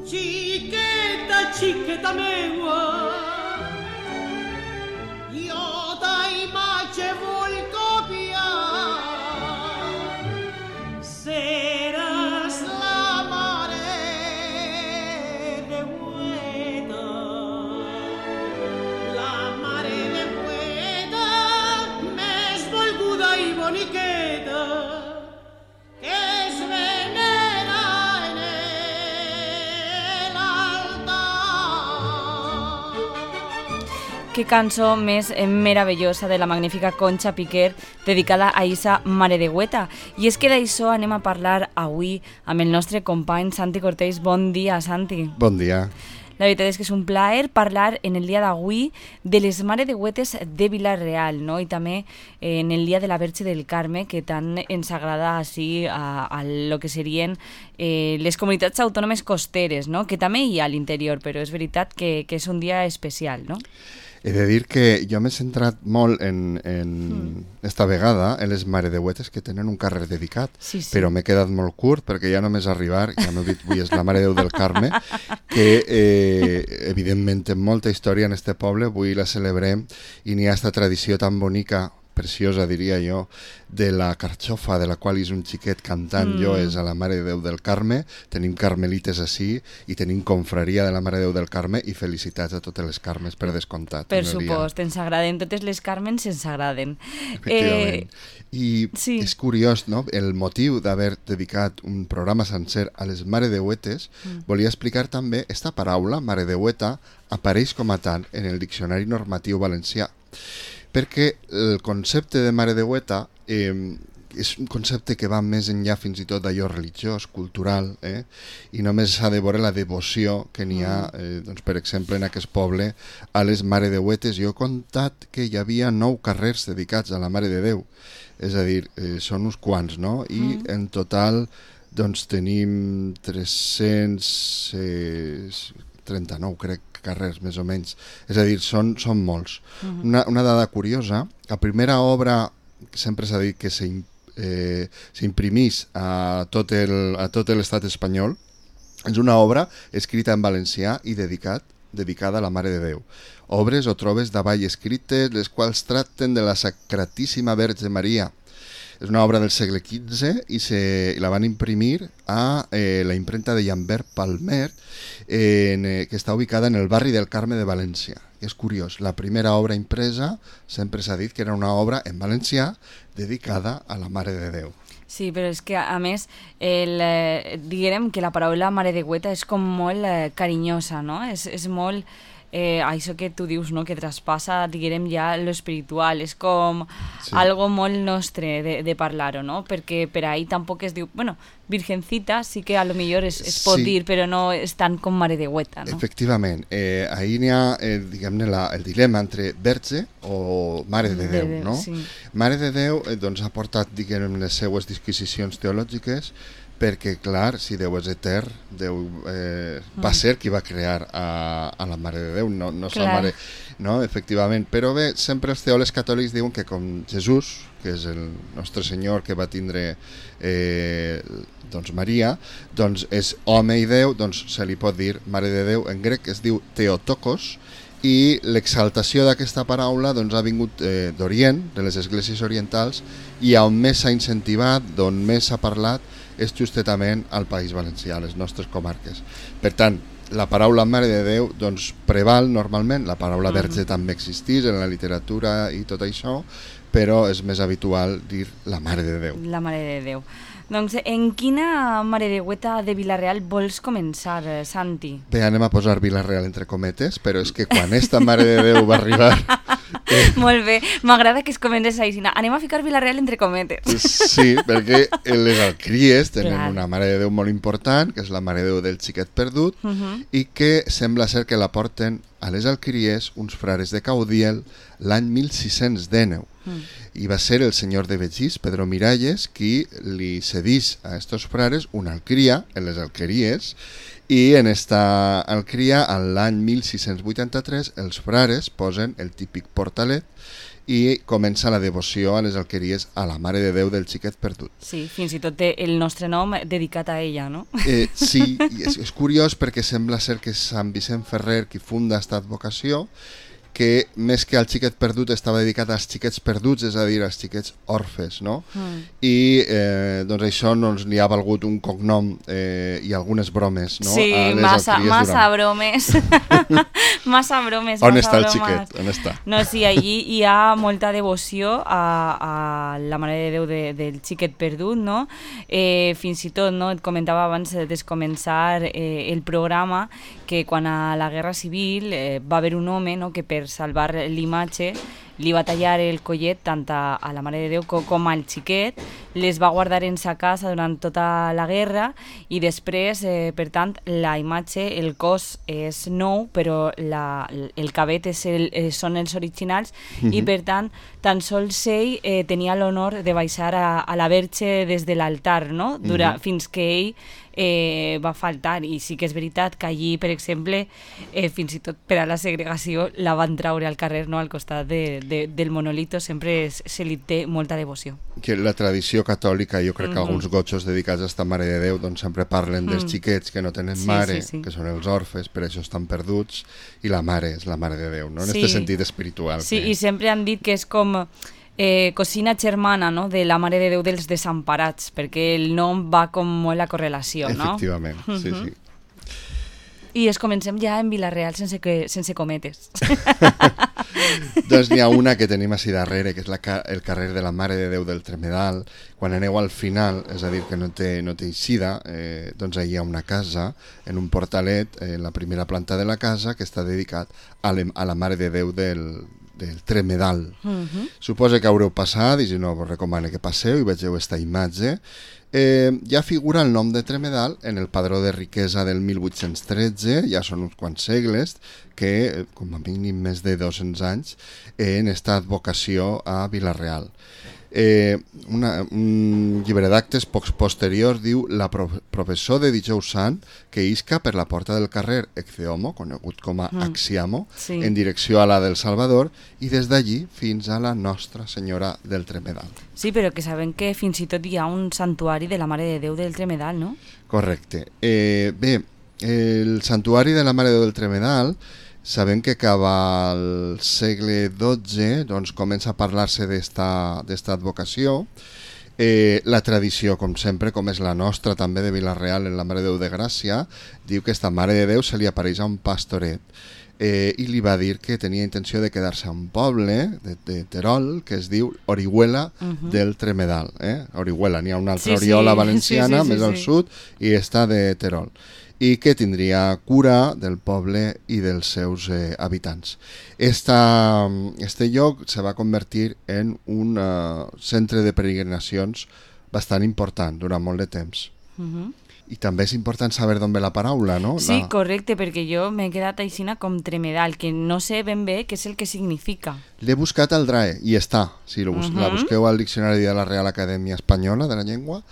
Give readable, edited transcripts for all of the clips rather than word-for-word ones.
Chiqueta, chiqueta meua, jo ta imatge vull copiar. Seràs la mare de Hueta, la mare de Hueta, més volguda i boniqueta, que es venera en Qué cançó més meravellosa de la magnífica Concha Piquer dedicada a Isa Mare de Hueta. I és que d'això anem a parlar avui amb el nostre company Santi Cortés. Bon dia, Santi. Bon dia. La veritat és que és un plaer parlar en el dia d'avui de les Mare de Huetes de Vila-real, no? I també en el dia de la Verge del Carme, que tant ens agrada així a lo que serien les comunitats autònomes costeres, no? Que també hi ha a l'interior, però és veritat que és un dia especial, no? He de dir que jo m'he centrat molt esta vegada en les Mare de Huetes que tenen un carrer dedicat, sí. Però m'he quedat molt curt perquè ja només arribar, ja m'heu dit avui és la Mare de Déu del Carme, que evidentment té molta història en este poble, avui la celebrem i n'hi ha esta tradició tan bonica, preciosa diria jo, de la carxofa, de la qual és un xiquet cantant jo és a la Mare de Déu del Carme. Tenim carmelites així i tenim confraria de la Mare de Déu del Carme i felicitats a totes les Carmes per descomptat. Per supost, ens agraden totes les Carmens, ens agraden. Efectivament. I sí. És curiós, no? El motiu d'haver dedicat un programa sencer a les Mare de Huetes, volia explicar també, esta paraula, Mare de Hueta, apareix com a tant en el Diccionari Normatiu Valencià, perquè el concepte de Mare de Hueta és un concepte que va més enllà fins i tot d'allò religiós, cultural, i només s'ha de veure la devoció que n'hi ha, doncs, per exemple, en aquest poble a les Mare de Huetes. Jo he contat que hi havia 9 carrers dedicats a la Mare de Déu, és a dir, són uns quants, no? I en total doncs, tenim 339, crec, carrers, més o menys. És a dir, són molts. Una dada curiosa, la primera obra que sempre s'ha dit que s'imprimís a tot l'estat espanyol és una obra escrita en valencià i dedicada a la Mare de Déu. Obres o trobes davall escrites, les quals tracten de la Sacratíssima Verge Maria. És una obra del segle XV i la van imprimir a la imprenta de Llambert Palmer, que està ubicada en el barri del Carme de València. És curiós, la primera obra impresa sempre s'ha dit que era una obra en valencià dedicada a la Mare de Déu. Sí, però és que a més diguem que la paraula Mare de Hueta és com molt carinyosa, no? És molt això que tu dius, no? Que traspassa, diguem, ja lo espiritual, és com algo molt nostre de parlar-ho, no? Perquè per ahí tampoc es diu, bueno, Virgencita sí que a lo millor es pot dir, però no és tant com Mare de Hueta, no? Efectivament, ahí n'hi ha, diguem-ne, el dilema entre verge o Mare de Déu, no? Sí. Mare de Déu doncs, ha portat, diguem, les seues disquisicions teològiques, perquè, clar, si Déu és etern, Déu va ser qui va crear a la Mare de Déu, no la Mare, no? Efectivament. Però bé, sempre els teòlegs catòlics diuen que com Jesús, que és el nostre Senyor que va tindre doncs Maria, doncs és home i Déu, doncs se li pot dir Mare de Déu. En grec es diu Theotokos, i l'exaltació d'aquesta paraula doncs, ha vingut d'Orient, de les esglésies orientals, i on més s'ha incentivat, d'on més s'ha parlat, és justament al País Valencià, a les nostres comarques. Per tant, la paraula Mare de Déu doncs, preval normalment, la paraula verge també existeix en la literatura i tot això, però és més habitual dir la Mare de Déu. La Mare de Déu. Doncs en quina Mare de Hueta de Vila-real vols començar, Santi? Bé, anem a posar Vila-real entre cometes, però és que quan esta Mare de Déu va arribar... Molt bé, m'agrada que es comences així. Anem a ficar Vila-real entre cometes. Sí, perquè les alcries tenen una Mare de Déu molt important, que és la Mare de Déu del Xiquet Perdut, i que sembla ser que la porten a les alqueries uns frares de Caudiel l'any 1619. I va ser el senyor de Begís, Pedro Miralles, qui li cedís a estos frares una alqueria en les alqueries, i en esta alqueria, l'any 1683, els frares posen el típic portalet i comença la devoció a les alqueries a la Mare de Déu del Xiquet Perdut. Sí, fins i tot té el nostre nom dedicat a ella, no? Sí, és curiós perquè sembla ser que és Sant Vicent Ferrer qui funda esta advocació, que més que al xiquet perdut estava dedicat als xiquets perduts, és a dir, als xiquets orfes, no? I doncs això li ha valgut un cognom i algunes bromes, no? Sí, massa bromes. Massa bromes. On està el xiquet? On està? No, sí, allí hi ha molta devoció a la Mare de Déu del xiquet perdut, no? Fins i tot, no? Et comentava abans de començar el programa que quan a la Guerra Civil va haver un home, no?, que per salvar l'imatge li va tallar el collet tant a la Mare de Déu com al xiquet, les va guardar en sa casa durant tota la guerra i després, per tant, la imatge, el cos és nou, però el cabet són els originals i per tant, tan sols ell tenia l'honor de baixar a la Verge des de l'altar, no? Fins que ell va faltar, i sí que és veritat que allí, per exemple, fins i tot per a la segregació la van traure al carrer, no? Al costat del monolito, sempre se li té molta devoció. Que la tradició catòlica, jo crec que alguns gotxos dedicats a esta Mare de Déu doncs sempre parlen dels xiquets que no tenen mare, que són els orfes, per això estan perduts, i la mare és la Mare de Déu, no? En aquest sentit espiritual. Sí, i sempre han dit que és com cosina germana, no?, de la Mare de Déu dels desemparats, perquè el nom va com molt a correlació, no? Efectivament, sí, sí. I comencem ja en Vila-real sense cometes. Doncs n'hi ha una que tenim així darrere, que és el carrer de la Mare de Déu del Tremedal. Quan aneu al final, és a dir, que no té eixida, doncs hi ha una casa, en un portalet, en la primera planta de la casa, que està dedicat a la Mare de Déu del Tremedal. Suposo que haureu passat, i si no, vos recomano que passeu i vegeu esta imatge. Ja figura el nom de Tremedal en el padró de riquesa del 1813, ja són uns quants segles, que, com a mínim més de 200 anys, han estat vocació a Vila-real. Un llibre d'actes pocs posteriors diu la professor de Dijous Sant que isca per la porta del carrer Ecceomo, conegut com a Axiamo, en direcció a la del Salvador i des d'allí fins a la Nostra Senyora del Tremedal. Sí, però que sabem que fins i tot hi ha un santuari de la Mare de Déu del Tremedal, no? Correcte. Bé, el santuari de la Mare de Déu del Tremedal sabem que cap al segle XII doncs, comença a parlar-se d'esta advocació. La tradició, com sempre, com és la nostra també de Vila-real en la Mare de Déu de Gràcia, diu que esta Mare de Déu se li apareix a un pastoret i li va dir que tenia intenció de quedar-se a un poble de Terol que es diu Orihuela del Tremedal. Orihuela, n'hi ha una altra Oriola valenciana més al sud i està de Terol, i que tindria cura del poble i dels seus habitants. Este lloc se va convertir en un centre de peregrinacions bastant important durant molt de temps. I també és important saber d'on ve la paraula, no? Sí, correcte, perquè jo m'he quedat aixina com Tremedal, que no sé ben bé què és el que significa. L'he buscat al DRAE i està. Si la busqueu al Diccionari de la Real Acadèmia Espanyola de la Llengua,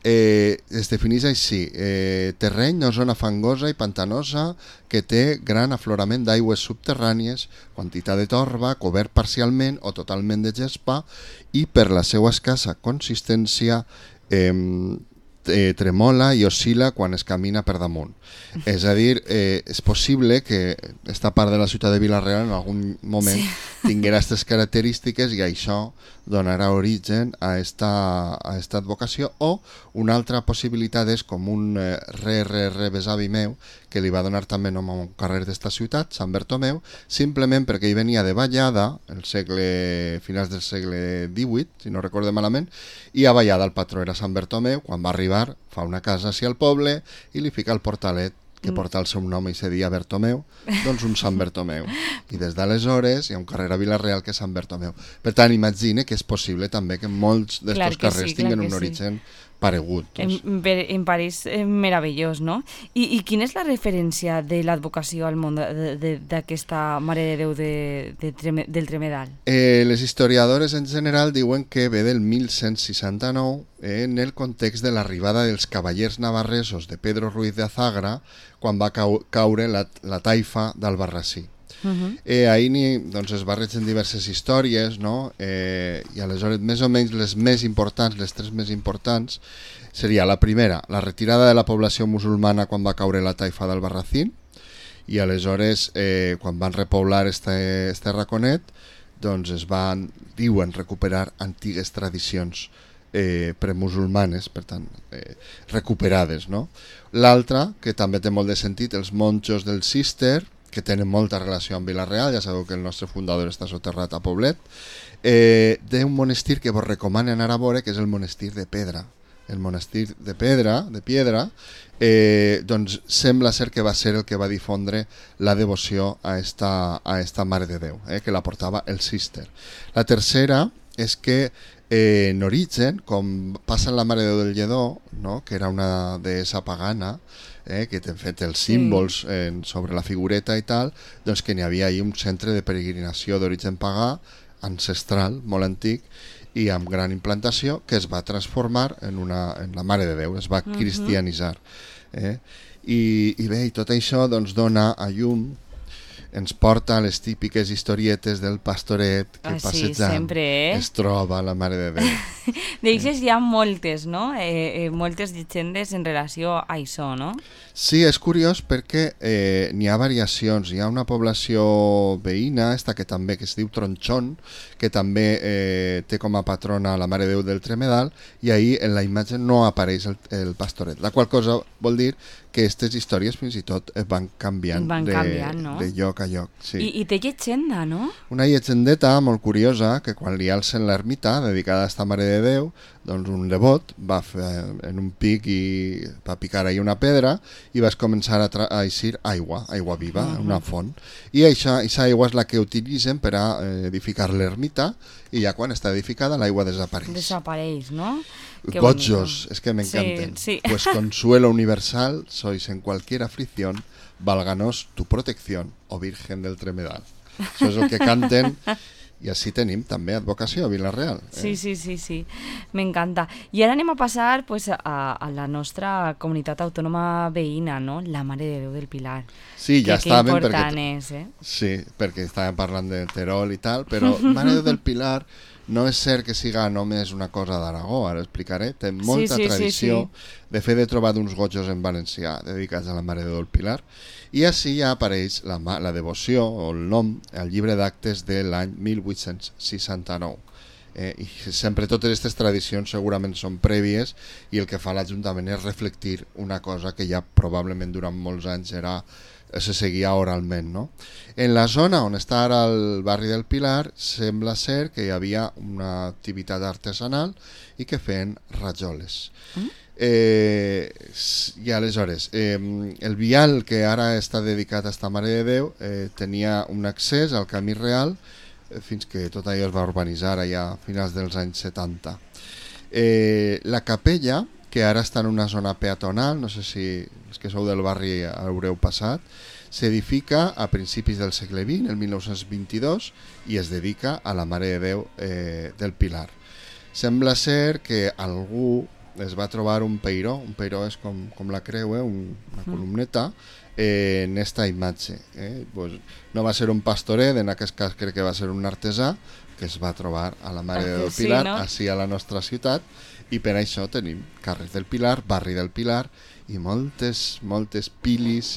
es defineix així: terreny o zona fangosa i pantanosa que té gran aflorament d'aigües subterrànies, quantitat de torba, cobert parcialment o totalment de gespa i per la seva escassa consistència tremola i oscil·la quan es camina per damunt. És a dir, és possible que esta part de la ciutat de Vila-real en algun moment tinguera aquestes característiques i això donarà origen a esta advocació. O una altra possibilitat és com un besavi meu que li va donar també nom a un carrer d'esta ciutat, Sant Bertomeu, simplement perquè hi venia de ballada, finals del segle XVIII, si no recorde malament, i a ballada el patró era Sant Bertomeu. Quan va arribar fa una casa així al poble i li fica el portalet que porta el seu nom i se dia Bertomeu, doncs un Sant Bertomeu. I des d'aleshores hi ha un carrer a Vila-real que és Sant Bertomeu. Per tant, imagine que és possible també que molts d'aquests carrers tinguin un origen paregut. En París, meravellós, no? I quina és la referència de l'advocació al món d'aquesta Mare de Déu del Tremedal? Les historiadores en general diuen que ve del 1169 en el context de l'arribada dels cavallers navarresos de Pedro Ruiz de Azagra quan va caure la taifa d'Albarrasí. Ahir doncs, es barregen diverses històries, no? I aleshores més o menys les més importants, les tres més importants, seria la primera, la retirada de la població musulmana quan va caure la taifa d'Albarracín, i aleshores quan van repoblar este raconet, doncs es van, diuen, recuperar antigues tradicions premusulmanes, per tant, recuperades, no? L'altra, que també té molt de sentit, els monjos del Cister, que tenen molta relació amb Vila-real, ja sabeu que el nostre fundador està soterrat a Poblet, d'un monestir que vos recomano anar a veure, que és el monestir de Pedra. El monestir de Pedra, doncs sembla ser que va ser el que va difondre la devoció a esta Mare de Déu, que la portava el Cister. La tercera és que en origen, com passa en la Mare de Déu del Lledó, no? Que era una deessa pagana, que t'han fet els símbols sobre la figureta i tal, doncs que n'hi havia ahí un centre de peregrinació d'origen pagà, ancestral, molt antic, i amb gran implantació, que es va transformar en la Mare de Déu, es va cristianitzar. I bé, i tot això doncs, dona a llum, ens porta a les típiques historietes del pastoret que passejant es troba la Mare de Déu. D'eixes hi ha moltes, no? Moltes llegendes en relació a això, no? Sí, és curiós perquè n'hi ha variacions. Hi ha una població veïna, que també que es diu Tronchón, que també té com a patrona la Mare de Déu del Tremedal, i ahir en la imatge no apareix el pastoret, la qual cosa vol dir que aquestes històries fins i tot van canviant, no? de lloc a lloc. Sí. I té llegenda, no? Una llegendeta molt curiosa, que quan li alcen l'ermita dedicada a esta Mare de Déu, doncs un devot va fer en un pic i va picar ahí una pedra i vas començar a eixir aigua viva, una font. I aquesta aigua és la que utilitzen per a edificar l'ermita, i ja quan està edificada l'aigua desapareix. Desapareix, no? Gojos, es que me encanten. Sí. Pues consuelo universal, sois en cualquier aflicción, válganos tu protección, oh Virgen del Tremedal. Això és el que canten, i així tenim també advocació a Vila-real. Sí, m'encanta. I ara anem a passar pues, a la nostra comunitat autònoma veïna, no? La Mare de Déu del Pilar. Sí, ja estàvem, que important és, Sí, perquè estàvem parlant de Terol i tal, però Mare de Déu del Pilar no és cert que siga només una cosa d'Aragó, ara explicaré, té molta tradició. De fet, he trobat uns gojos en valencià dedicats a la Mare de Déu del Pilar, i així ja apareix la devoció o el nom al llibre d'actes de l'any 1869. I sempre totes aquestes tradicions segurament són prèvies, i el que fa l'Ajuntament és reflectir una cosa que ja probablement durant molts anys se seguia oralment, no? En la zona on està ara el barri del Pilar sembla ser que hi havia una activitat artesanal i que feien rajoles. I aleshores el vial que ara està dedicat a esta Mare de Déu tenia un accés al camí real fins que tot allò es va urbanitzar allà a finals dels anys 70. La capella, que ara està en una zona peatonal, no sé si els que sou del barri haureu passat, s'edifica a principis del segle XX, el 1922, i es dedica a la Mare de Déu del Pilar. Sembla ser que algú es va trobar un peiró és com la creu, una columneta, en esta imatge. Pues no va ser un pastoret, en aquest cas crec que va ser un artesà, que es va trobar a la Mare de Déu del Pilar, així a la nostra ciutat, i per això tenim carrer del Pilar, barri del Pilar, i moltes pilis,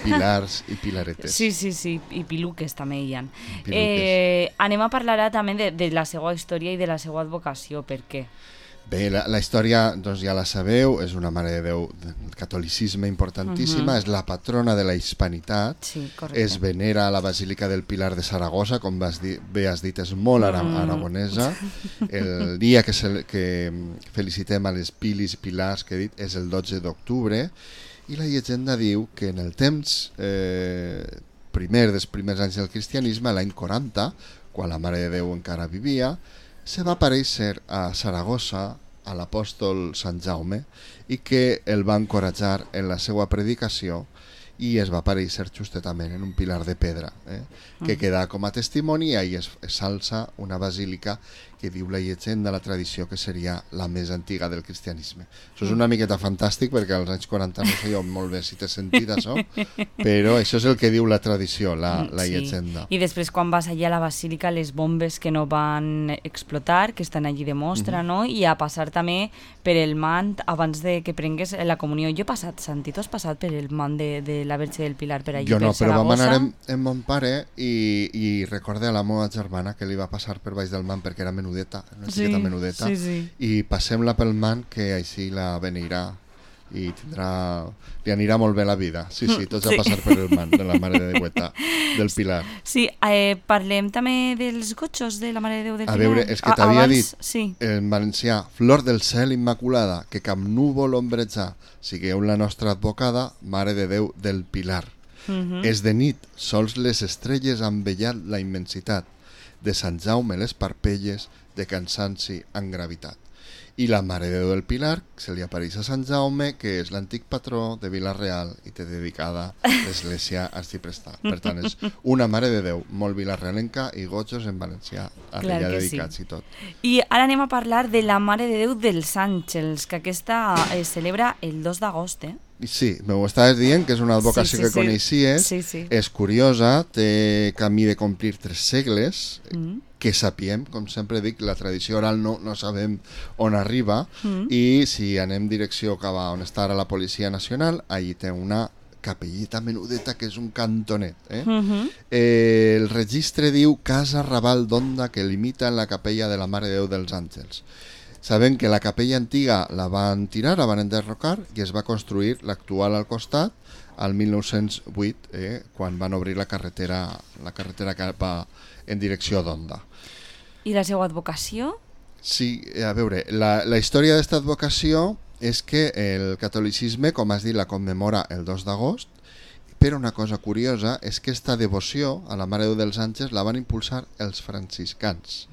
pilars i pilaretes. Sí, i piluques també hi ha. Anem a parlar també de la seva història i de la seva advocació, per què? Bé, la història doncs ja la sabeu, és una Mare de Déu del catolicisme importantíssima, és la patrona de la hispanitat, es venera a la Basílica del Pilar de Saragossa, com bé has dit, és molt aragonesa. El dia que felicitem a les pilis i pilars que he dit és el 12 d'octubre, i la llegenda diu que en el temps dels primers anys del cristianisme, l'any 40, quan la Mare de Déu encara vivia, se va aparèixer a Saragossa a l'apòstol Sant Jaume i que el va encoratjar en la seva predicació, i es va aparèixer justament en un pilar de pedra, que queda com a testimoni, i ahí es s'alça una basílica que diu la llegenda, la tradició, que seria la més antiga del cristianisme. Això és una miqueta fantàstic, perquè als anys 40 no sé jo molt bé si té sentit això, però això és el que diu la tradició, la llegenda. I després quan vas allà a la basílica, les bombes que no van explotar, que estan allí de mostra, no? I a passar també per el mant abans de que prengues la comunió. Jo he passat, Santi, tu has passat per el mant de la Verge del Pilar per allí, jo no, per Saragossa? però vam anar amb mon pare i recorde a la meva germana que li va passar per baix del mant perquè era menudeta, una xiqueta menudeta, i passem-la pel mant, que així la beneirà i li anirà molt bé la vida. Sí, tots a passar per el mant de la Mare de Déu del Pilar. Sí, parlem també dels gotxos de la Mare de Déu del Pilar. A veure, és que t'havia dit en valencià, flor del cel immaculada, que cap núvol ombreja, sigueu la nostra advocada, Mare de Déu del Pilar. És de nit, sols les estrelles han vellat la immensitat, de Sant Jaume les parpelles, de cansanci en gravitat. I la Mare de Déu del Pilar se li apareix a Sant Jaume, que és l'antic patró de Vila-real i té dedicada l'església arxiprestal. Per tant, és una Mare de Déu molt vilarealenca i gotxos en valencià, allà dedicats i tot. I ara anem a parlar de la Mare de Déu dels Àngels, que aquesta es celebra el 2 d'agost, Sí, m'ho estaves dient, que és una advocació que coneixies, és curiosa, té camí de complir 3 segles, que sapiem, com sempre dic, la tradició oral no sabem on arriba, i si anem direcció cap a on està ara la Policia Nacional, allí té una capellita menudeta que és un cantonet. El registre diu Casa Raval d'Onda, que limita en la capella de la Mare de Déu dels Àngels. Sabem que la capella antiga la van tirar, la van enderrocar, i es va construir l'actual al costat al 1908, quan van obrir la carretera cap en direcció d'Onda. I la seva advocació? Sí, a veure, la història d'esta advocació és que el catolicisme, com has dit, la commemora el 2 d'agost, però una cosa curiosa és que aquesta devoció a la Mare de Déu dels Àngels la van impulsar els franciscans.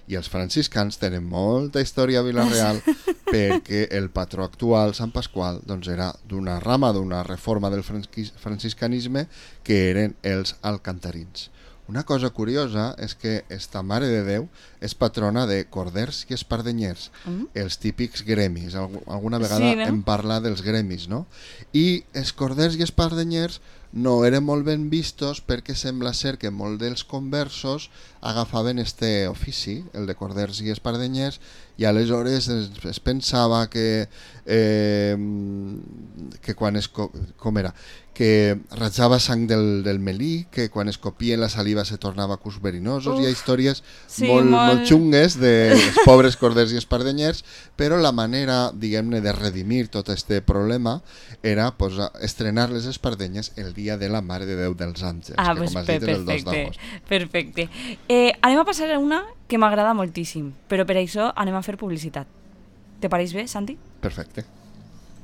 I els franciscans tenen molta història a Vila-real perquè el patró actual, Sant Pasqual, doncs era d'una rama, d'una reforma del franciscanisme, que eren els alcantarins. Una cosa curiosa és que esta Mare de Déu és patrona de corders i espardenyers, els típics gremis. Alguna vegada en parla dels gremis, no? I els corders i espardenyers no eren molt ben vistos perquè sembla ser que molts dels conversos agafaven este ofici, el de corders i espardenyers, i aleshores es pensava que quan com era? Que ratjava sang del melí, que quan es copien la saliva se tornava cus verinosos. Hi ha històries molt xungues dels pobres corders i espardenyers, però la manera, diguem-ne, de redimir tot este problema era estrenar les espardenyes el dia de la Mare de Déu dels Àngels, que com has dit és el 2 d'agost. Perfecte. Anem a passar a una que m'agrada moltíssim, però per això anem a fer publicitat. Te pareix bé, Santi? Perfecte.